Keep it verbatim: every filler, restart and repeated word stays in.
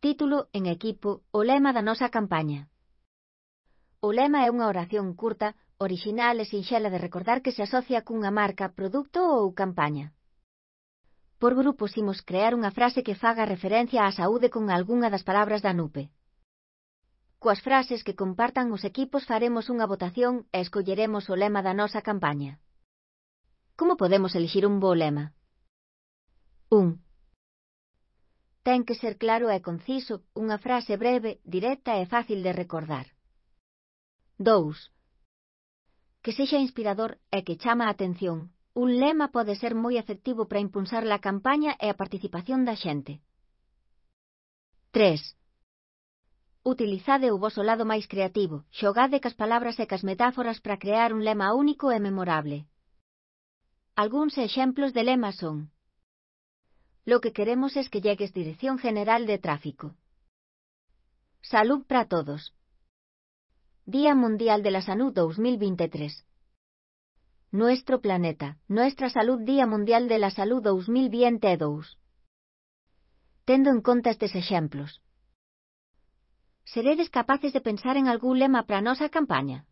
Título en equipo, o lema da nosa campaña. O lema é unha oración curta, orixinal e sinxela de recordar que se asocia cunha marca, produto ou campaña. Por grupos imos crear unha frase que faga referencia á saúde con algunha das palabras da N U P E. Coas frases que compartan os equipos faremos unha votación e escolleremos o lema da nosa campaña. Como podemos elixir un bo lema? un. Ten que ser claro e conciso, unha frase breve, directa e fácil de recordar. dous. Que sexa inspirador e que chama a atención. Un lema pode ser moi efectivo para impulsar a campaña e a participación da xente. tres. Utilizade o voso lado máis creativo, xogade cas palabras e cas metáforas para crear un lema único e memorable. Algúns exemplos de lemas son: Lo que queremos es que llegues Dirección General de Tráfico. Salud para todos. Día Mundial de la Salud dos mil veintitrés. Nuestro planeta, nuestra salud. Día Mundial de la Salud dos mil veintidós. Tendo en conta estes exemplos, seredes capaces de pensar en algún lema para a nosa campaña?